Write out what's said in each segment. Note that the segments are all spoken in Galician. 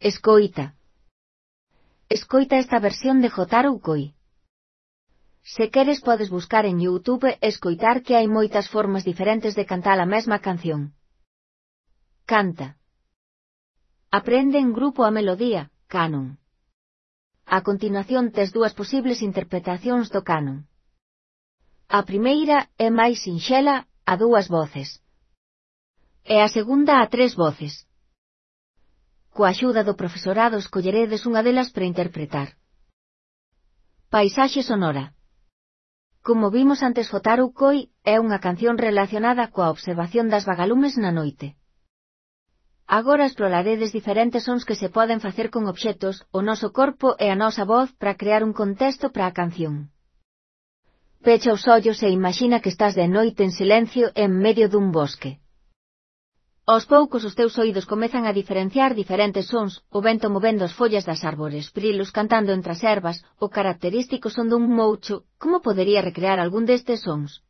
Escoita. Escoita esta versión de Jotaro Ukoi. Se queres podes buscar en YouTube e escoitar que hai moitas formas diferentes de cantar a mesma canción. Canta. Aprende en grupo a melodía, canon. A continuación tes dúas posibles interpretacións do canon. A primeira é máis sinxela, a dúas voces. E a segunda a tres voces. Coa axuda do profesorado escolleredes unha delas para interpretar. Paisaxe sonora. Como vimos antes, Jotaro Ukoi é unha canción relacionada coa observación das vagalumes na noite. Agora exploraredes diferentes sons que se poden facer con obxectos, o noso corpo e a nosa voz para crear un contexto para a canción. Pecha os ollos e imagina que estás de noite en silencio en medio dun bosque. Aos poucos os teus oídos comezan a diferenciar diferentes sons, o vento movendo as follas das árbores, grilos cantando entre as ervas, o característico son dun moucho. Como podería recrear algún destes sons?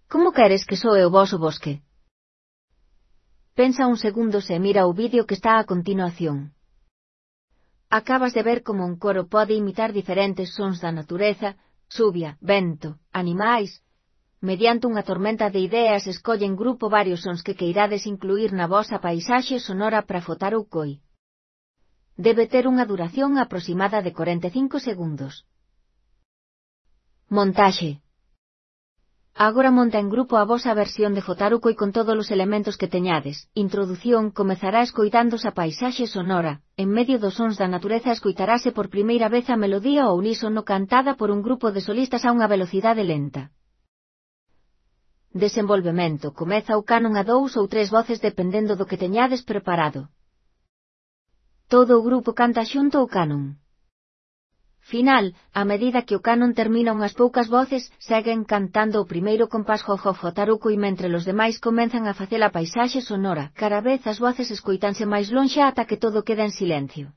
Como queres que soe o voso bosque? Pensa un segundo e mira o vídeo que está a continuación. Acabas de ver como un coro pode imitar diferentes sons da natureza, chuvia, vento, animais. Mediante unha tormenta de ideas escolle en grupo varios sons que queirades incluir na vosa paisaxe sonora para Jotaro Ukoi. Debe ter unha duración aproximada de 45 segundos. Montaxe. Agora monta en grupo a vosa versión de Jotaro Ukoi con todos os elementos que teñades. Introdución. Comezará escoitándose a paisaxe sonora. En medio dos sons da natureza escoitarase por primeira vez a melodía ao unísono cantada por un grupo de solistas a unha velocidade lenta. Desenvolvemento. Comeza o canon a 2 ou 3 voces dependendo do que teñades preparado. Todo o grupo canta xunto ao canon. Final. A medida que o canon termina unhas poucas voces, seguen cantando o primeiro compás Jotaro Ukoi mentre os demais comenzan a facer a paisaxe sonora. Cada vez as voces escoitanse máis lonxe ata que todo queda en silencio.